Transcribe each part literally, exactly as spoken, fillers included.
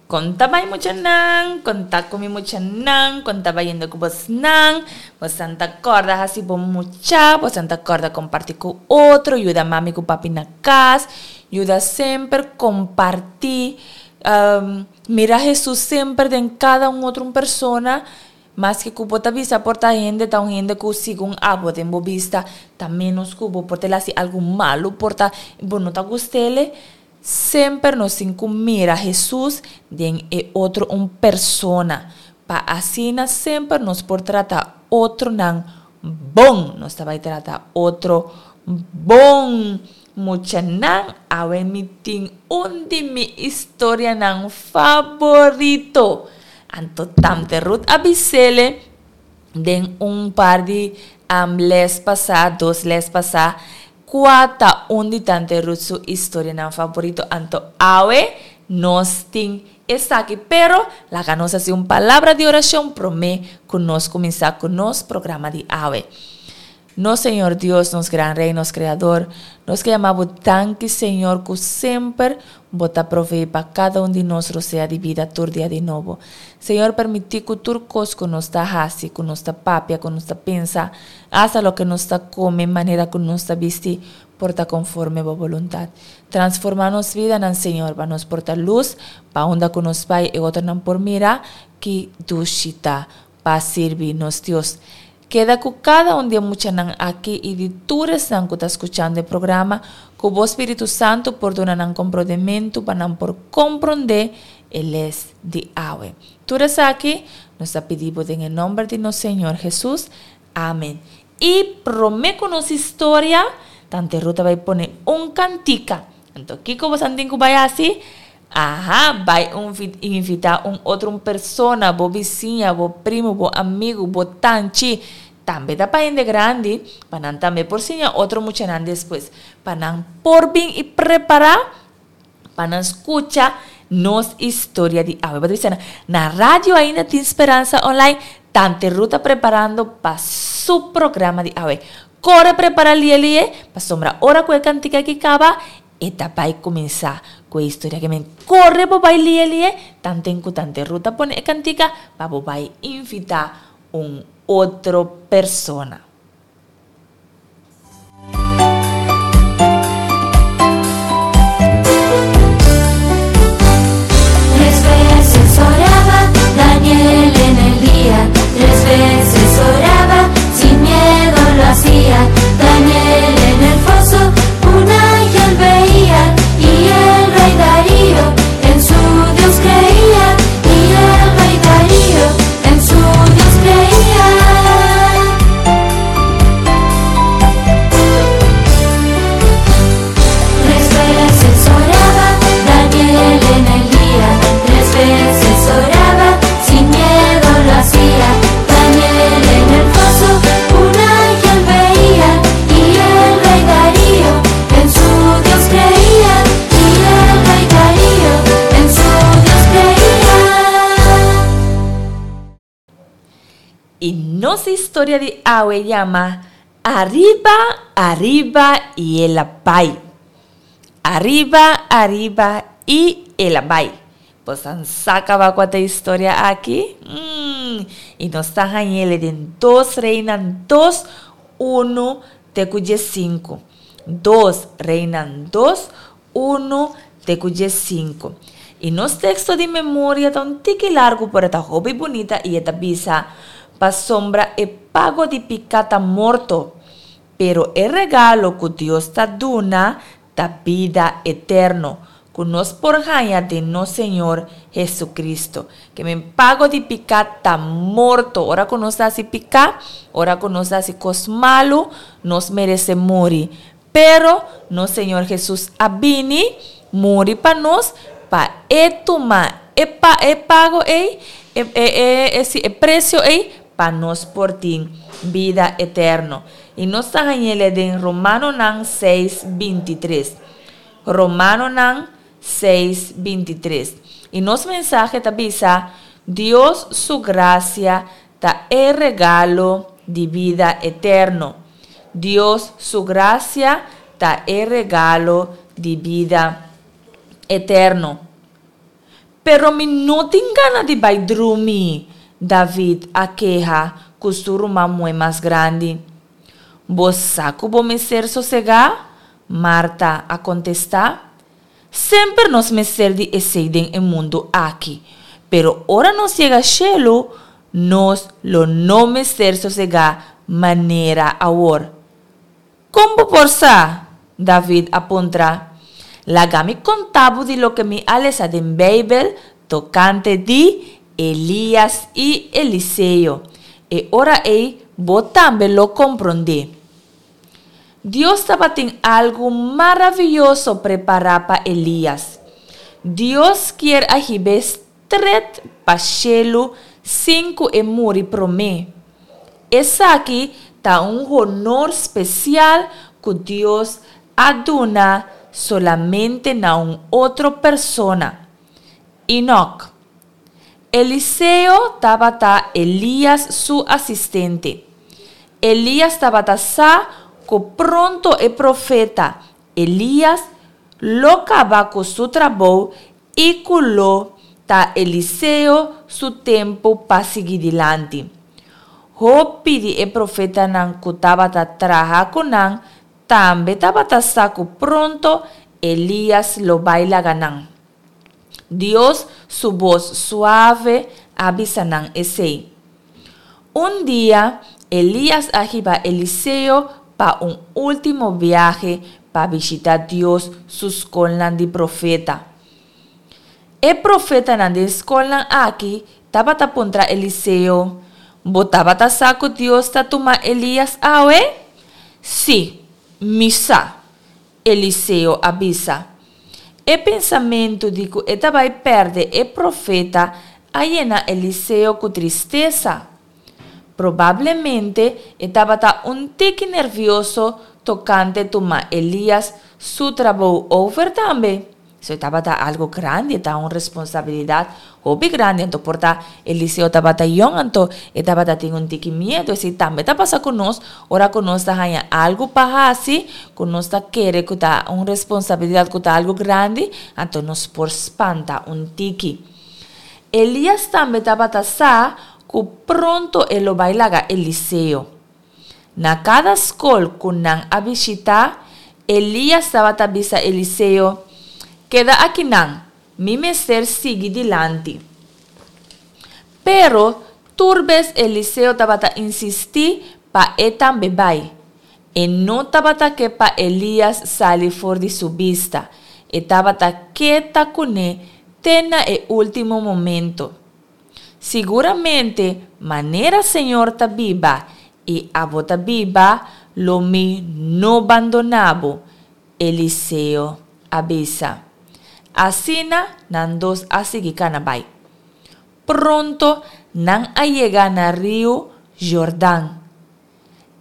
Kon ta bai muchanan, kon ta ku mi muchanan, kon ta bayendo ku bosnan? Bosan ta kòrda hasi bon mucha, bosan ta kòrda kompartí ku otro, yuda mami ku papi na kas, yuda semper kompartí, mira Hesus semper den kada un otro un persona, maske ku bo ta bisa por ta hende ta un hende ku segun abo den bo bista ta ménos ku bo, por ta el hasi algu malu, por ta bo no ta gust'el. Semper nos tin ku mira Hesus den e otro un persona, pa asina semper nos por trata otronan bon. Nos ta bai trata otro bon. Muchanan, awe mi tin un di mi historianan favorito. Anto Tante Ruth a bis'ele den un par di les pasá, dos les pasá, Kua ta un di Tante Ruth su istorianan favorito? Anto awe nos tin esaki. Pero laga nos hasi un palabra di orashon promé ku nos kuminsá ku nos programa di awe. Nos Señor Dios, nos Gran Rey, nos Kreador, nos ke yama bo danki Señor ku semper bo ta proveé pa kada un di nos rosea di bida tur dia di nobo. Señor permití ku tur kos ku nos ta hasi, ku nos ta papia, ku nos ta pensa, Asta loke nos ta kome, manera ku nos ta bisti, por ta konforme bo boluntat. Transformá nos bidanan, Señor, pa nos por ta lus pa unda ku nos bai e otronan por mira ki dushi ta pa sirbi nos Dios. Keda ku kada un di e muchanan aki i di tur esnan ku ta skuchando e programa, ku bo Spiritu Santu por duna nan komprondementu pa nan por komprondé e les di awe. Tur esaki nos ta pidi bo den e nòmber di nos Señor Hesus. Amen. I prome ku nos historia, Tante Ruth a bai pone un kantika. Anto kiko bosan tin ku bai hasi? Aha, bai un invitá un otro un persona, bo bisiña, bo primu, bo amigu, bo tanchi, tambe ta pa hende grandi, pa nan tambe por siña otro muchanan despues, pa nan por bin i prepará Pa nan skucha nos historia di awe. Bo ta bisa nan, na radio ainda tin Speransa Online, Tante Ruth ta preparando pa su programa di awe. Kore prepara lie lie, pasobra ora ku e kantika aki kaba, e ta bai kuminsá ku e historia ke men. Kore bo bai lie lie, tanten ku Tante Ruth ta pone e kantika pa bo bai invitá un otro persona. Tres veces oraba Daniel en el día, tres veces oraba, sin miedo lo hacía. Daniel en el foso un ángel veía y el rey Darío en su Dios creía y el rey Darío en su Dios creía. Tres veces oraba Daniel en el día, tres veces oraba, sin miedo lo hacía. Daniel en el foso un ángel veía y el rey Darío en su Dios creía y el rey Darío en su Dios creía. I nos historia di awe yama Ariba, ariba i el a bai. Ariba, ariba i el a bai. Bosan sa kaba kua ta e historia aki? Mm, i nos ta hañ'el den Dos Reinan dos, unu te ku diesinku. Dos Reinan dos, unu te ku diesinku. I nos teksto di memoria ta un tiki largu pero e ta hopi bunita i e ta bisa, Pasobra e pago di piká ta morto, pero e regalo ku Dios ta duna ta bida eterno, ku nos por haña den nos Señor Jesucristo. Ke men pago di piká ta morto. Ora ku nos ta hasi piká, ora ku nos ta hasi kos malu, nos meresé muri. Pero nos Señor Hesus a bini muri pa nos pa e tuma e pa e pago ei, e e e e si e presio ei pa nos por tin bida eterno. I nos ta hañ'el den Romanonan seis binti tres. Romanonan seis binti tres. I nos mensahe ta bisa, Dios su grasia ta e regalo di bida eterno. Dios su grasia ta e regalo di bida eterno. Pero mi no tin gana di bai drumi, David a keha ku su ruman muhé mas grandi. Bo sa ku bo mester sosegá, Marta a kontestá. Semper nos mester di esei den e mundu aki, pero ora nos yega shelu, nos lo no mester sosegá manera awor. Kon bo por sa? David a puntra. Laga mi konta bo di loke mi a lesa den Beibel tokante di Elias i Eliseo. E ora ei bo tambe lo komprondé. Dios tabatin algu maravioso prepará pa Elias. Dios kier a hib'é stret pa shelu sin ku e muri promé. Esaki ta un honor spesial ku Dios a duna solamente na un otro persona, Enoc. Eliseo tabata Elias su asistente. Elias tabata sa ku pronto e profeta Elias lo kaba ku su trabou i ku lo ta Eliseo su tempu pa sigui dilanti. Hopi di e profetanan ku tabata traha ku nan tambe tabata sa ku pronto Elias lo bai laga nan. Dios su bos suave a bisa nan esei. Un dia, Elias a hiba Eliseo pa un último biahe pa bishitá Dios su skolnan di profeta. E profetanan den skolnan aki tabata puntra Eliseo, Bo tabata sa ku Dios ta tuma Elias awe? Sí, mi sa, Eliseo a bisa. E pensamentu di ku e ta bai pèrdè e profeta a yena Eliseo ku tristesa. Probablemente e tabata un tiki nervioso tokante tuma Elias su trabou over tambe. Esei tabata algu grandi, e ta un responsabilidat hopi grandi. Anto por ta Eliseo tabata yòn, anto e tabata tin un tiki miedu. Esei tambe ta pasa ku nos ora ku nos ta haña algu pa hasi ku nos ta kere ku ta un responsabilidat, ku ta algu grandi, anto nos por spanta un tiki. Elias tambe tabata sa ku pronto e lo bai laga Eliseo. Na kada skol ku nan a bishitá, Elias tabata bisa Eliseo, Keda akinan, mi mester sigui dilanti. Pero, tur bes Eliseo tabata insistí pa e tambe bai. E no tabata ke pa Elias sali for di su bista, e tabata ke ta kuné te na e último momento. Siguramente, manera señor ta biba i abo ta biba, lo mi no bandoná bo, Eliseo a bisa. Asina nan dos a sigui kana bai. Pronto nan a yega na riu Jordan.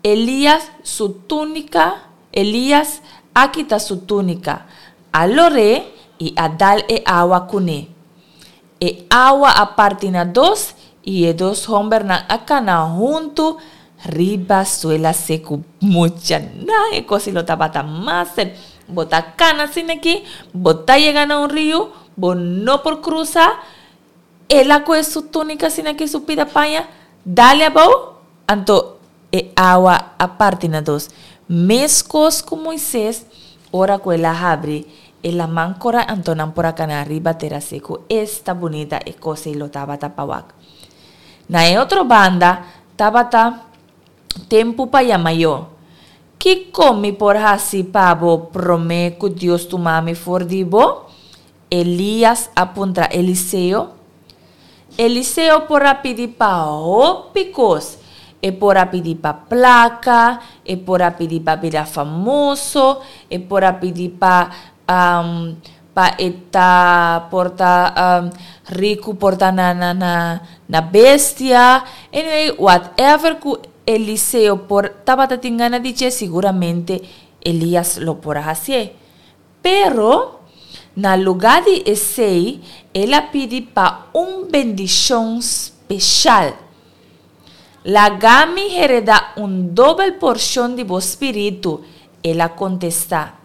Elias su túnika Elias a kita su túnika, a lor'é i a dal e awa kuné. E awa a parti na dos i e dos hòmbernan a kana huntu riba suela seku. Muchanan, e kos ei lo tabata mas sep. Bo ta kana asina aki, bo ta yega na un riu, bo no por krusa. El a kohe su túnika asina aki, su pida paña, dale abou, anto e awa a parti na dos. Meskos ku Moises, ora ku el a habri e laman kora, anto nan por a kana riba tera seku. Esta bunita e kos ei lo tabata pa wak! Na e otro banda, tabata tempu pa yama yo. Kiko mi por hasi pa bo promé ku Dios tuma mi for di bo? Elias a puntra Eliseo. Eliseo por a pidi pa hopi kos. E por a pidi pa plaka, e por a pidi pa bira famoso, e por a pidi pa pa e ta por ta riku, por ta na na na na bestia. Anyway, whatever ku Eliseo por tabata tin gana di dje, siguramente Elias lo por a hasié. Pero, na lugá di esei, el a pidi pa un bendishon speshal. Laga mi heredá un dobel porshon di bo spiritu, el a kontestá.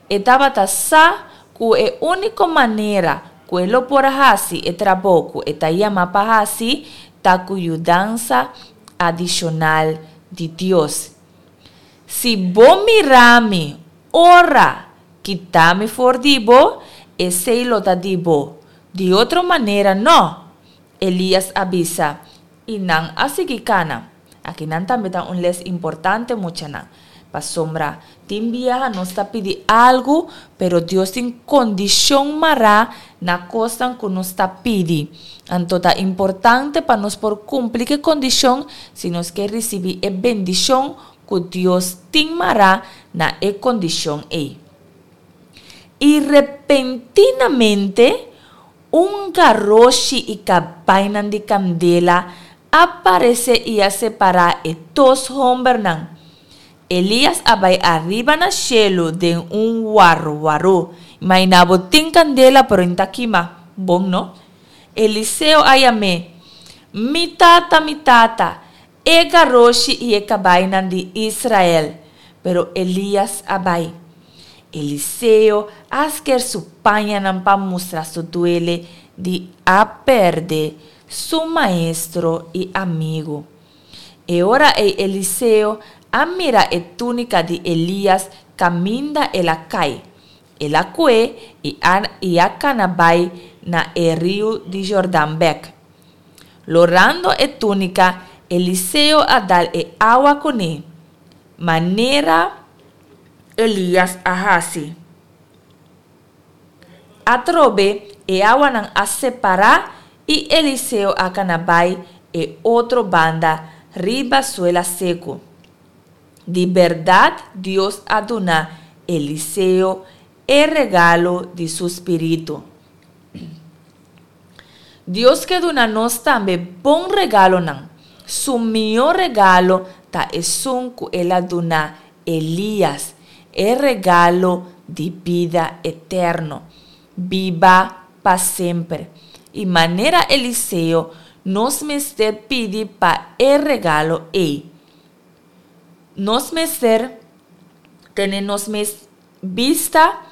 E tabata sa ku e úniko manera ku e lo por hasi e trabou ku e ta yamá pa hasi ta ku yudansa adishonal di Dios. Si bo mira mi ora kita mi for di bo, esei lo ta di bo. Di otro manera no, Elias a bisa, i nan a sigui kana. Akinan tambe ta un les importante, muchanan. Pasobra tin biaha nos ta pidi algu, pero Dios tin kondishon mará na kosnan ku nos ta pidi. Anto ta importante pa nos por kumpli ku e kondishon si nos ke risibí e bendishon ku Dios tin mará na e kondishon ei. I repentinamente un garoshi i kabainan di kandela a paresé i a separá e dos hòmbernan. Elias a bai ariba na shelu den un warwarú. Imaginá bo, tin kandela pero e no ta kima. Bon, no? Eliseo a yam'é, Mi tata, mi tata, e garoshi i e kabainan di Israel! Pero Elias a bai. Eliseo a sker su pañanan pa mustra su duele di a pèrdè su maestro i amigu. E ora ei Eliseo a mira e túnika di Elias kaminda el a kai. El a kue i a i a kana bai na e riu di Jordan bèk. Lorando e túnika, Eliseo a dal e awa kuné, manera Elias a hasi. Atrobe e awanan a separá i Eliseo a kana bai e otro banda riba suela seku. Di bèrdat Dios a duna Eliseo e regalo di su spiritu. Dios ke duna nos tambe bon regalonan. Su mihó regalo ta esun ku el a duna Elias, e regalo di bida eterno, biba pa semper. I manera Eliseo, nos mester pidi pa e regalo ei. Nos mester tene nos mes bista.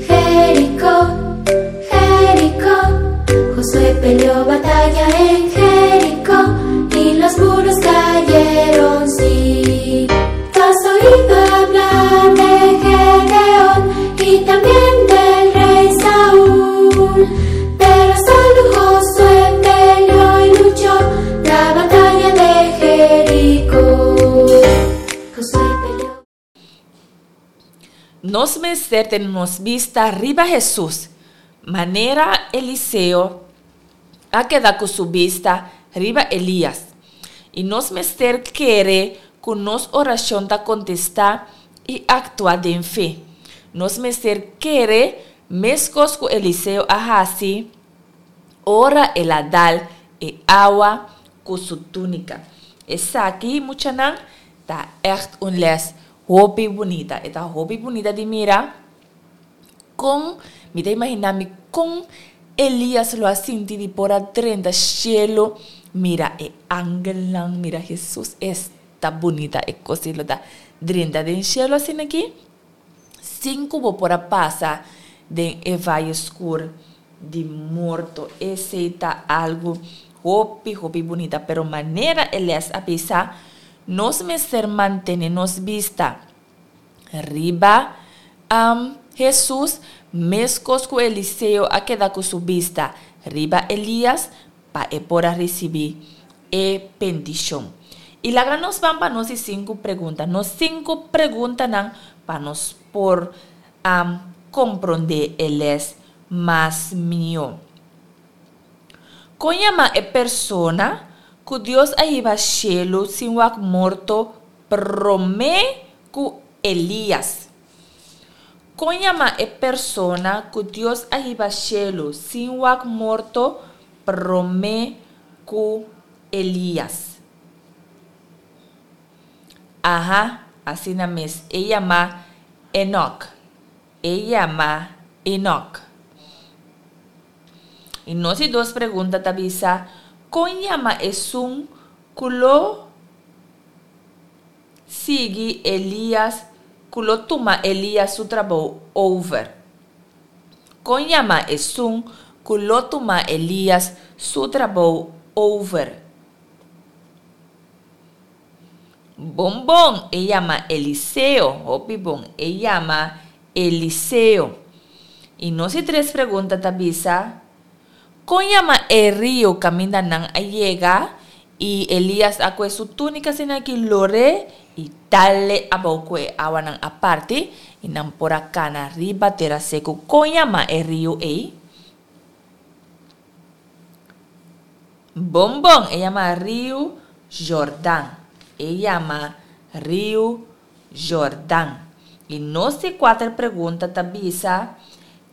Jericó, Jericó, Josué peleó batalla en Jericó y los muros cayeron, sí. Tú has oído hablar de Gedeón y también del rey Saúl, pero solo Josué peleó y luchó la batalla de Jericó. Josué peleó. Nos mester tene nos bista riba Hesus, manera Eliseo a keda ku su bista riba Elias. I nos mester kere ku nos orashon ta kontestá i aktua den fe. Nos mester kere meskos ku Eliseo a hasi ora el a dal e awa ku su túnika. Esaki, muchanan, ta ègt un lès hopi bunita. E ta hopi bunita di mira kon, mi ta imaginá mi kon Elias lo a sinti di por a drenta shelu, mira e angelnan, mira Hesus. Esta bunita e kos ei lo ta, drenta den shelu asina aki, sin ku bo por a pasa den e vaye skur di morto. Esei ta algu hopi, hopi bunita. Pero manera e lès a bisa, nos mester mantené nos bista riba Hesus, meskos ku Eliseo a keda ku su bista riba Elias pa e por a risibí e bendishon. I laga nos ban pa nos di sinku pregunta. Nos sinku preguntanan pa nos por komprondé e lès mas mihó. Kon yama e persona ku Dios a hiba shelu sin wak morto promé ku Elias? Kon yama e persona ku Dios a hiba shelu sin wak morto promé ku Elias? Aha, asina mes, e yama Enok. E yama Enok. I nos di dos pregunta ta bisa, kon yama esun ku lo sigui Elias, ku lo tuma Elias su trabou over? Kon yama esun ku lo tuma Elias su trabou over? Bon bon, e yama Eliseo. Hopi bon, e yama Eliseo. I nos di tres pregunta ta bisa, kon yama e riu kaminda nan a yega i Elias a kue su túnika asin'aki lor'é i dal e abou ku e awanan a parti i nan por a kana riba tera seku? Kon yama e riu ei? Bon bon, e yama Riu Jordan. E yama Riu Jordan. I nos di kuater pregunta ta bisa,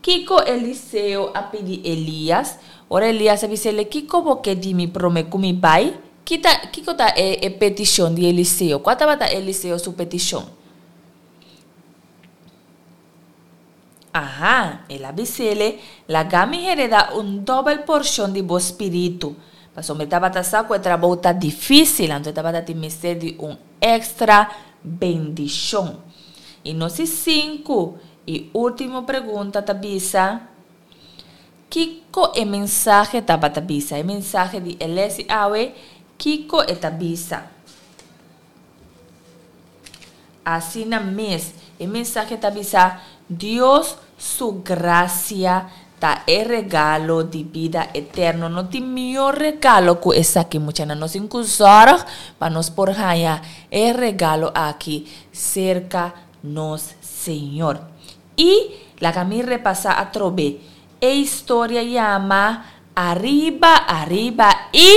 Kiko Eliseo a pidi Elias? Ora Elias a bis'é, Kiko bo ke di mi promé ku mi bai? Ki ta, kiko ta e, e petishon di Eliseo? Kua tabata Eliseo su petishon? Aha, el a bis'é, Laga mi heredá un dòbel porshon di bo spiritu. Pasobra e tabata sa ku e trabou ta difísil, anto e tabata tin mester di un èkstra bendishon. I nos di sinku i último pregunta ta bisa, Kiko e mensahe tabata bisa? E mensahe di e lès di awe, kiko e ta bisa? Asina mes, e mensahe ta bisa, Dios su grasia ta e regalo di bida eterno. No tin mihó regalo ku esaki, muchanan. Nos tin ku zòrg pa nos por haña e regalo aki serka nos Señor. I laga mi repasá atrobe. E historia yama Ariba, Ariba i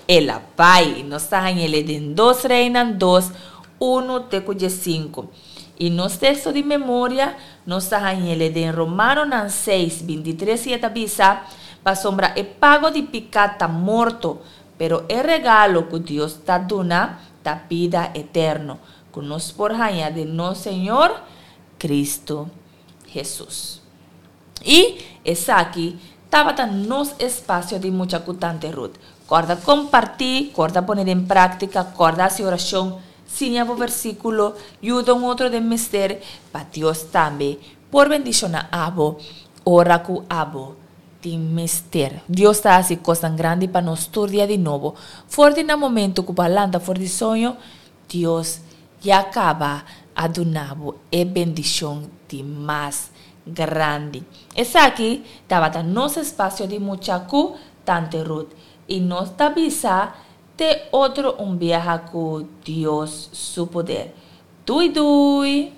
El a Bai. Nos ta hañ'el den Dos Reinan dos, unu te ku diesinku. I nos teksto di memoria nos ta hañ'el den Romanonan seis, bintitres i e ta bisa, Pasobra e pago di piká ta morto, pero e regalo ku Dios ta duna ta bida eterno, ku nos por haña den nos Señor Cristo Hesus. I esaki tabata nos espasio di mucha ku Tante Ruth. Kòrda kompartí, kòrda pone den práktika, kòrda hasi orashon, siña bo versíkulo, yuda un otro den mester, pa Dios tambe por bendishoná abo ora ku abo tin mester. Dios ta hasi kosnan grandi pa nos tur dia di nobo. For di na momentu ku bo a lanta for di soño, Dios ya kaba a duna bo e bendishon di mas grandi. Esaki tabata nos espasio di mucha ku Tante Ruth i nos ta bisa te otro un biaha ku Dios su poder. Dui dui!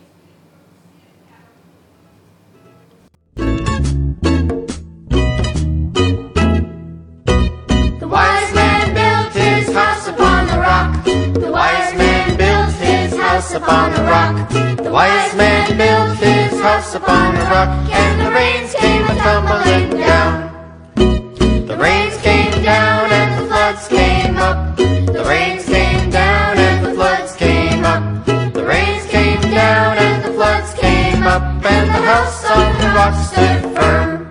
The wise man built his house upon the rock. The wise man built his house upon the rock. The wise man built his house upon the rock, and the rains came a tumbling down. The rains came down and the floods came up. The rains came down and the floods came up. The rains came down and the floods came up, and the house on the rock stood firm.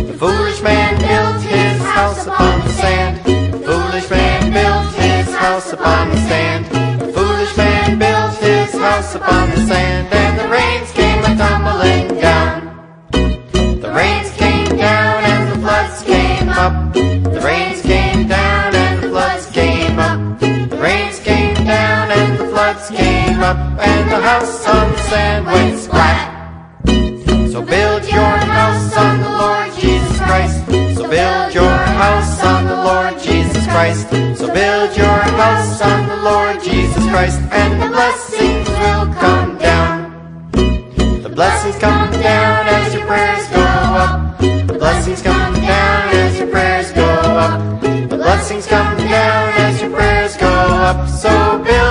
The foolish man built his house upon the sand. The foolish man built his house upon the sand. The foolish man built his house upon the sand, and the rains came a tumbling down. The rains came down and the floods came up. The rains came down and the floods came up. The rains came down and the floods came up, and the house on the sand went splat. So build your house on the Lord Jesus Christ. So build your house on the Lord Jesus Christ. So build your house on the Lord Jesus Christ, and the blessings will come down. The blessings come down as your prayers go up. The blessings come down as your prayers go up. The blessings come down as your prayers go up. So build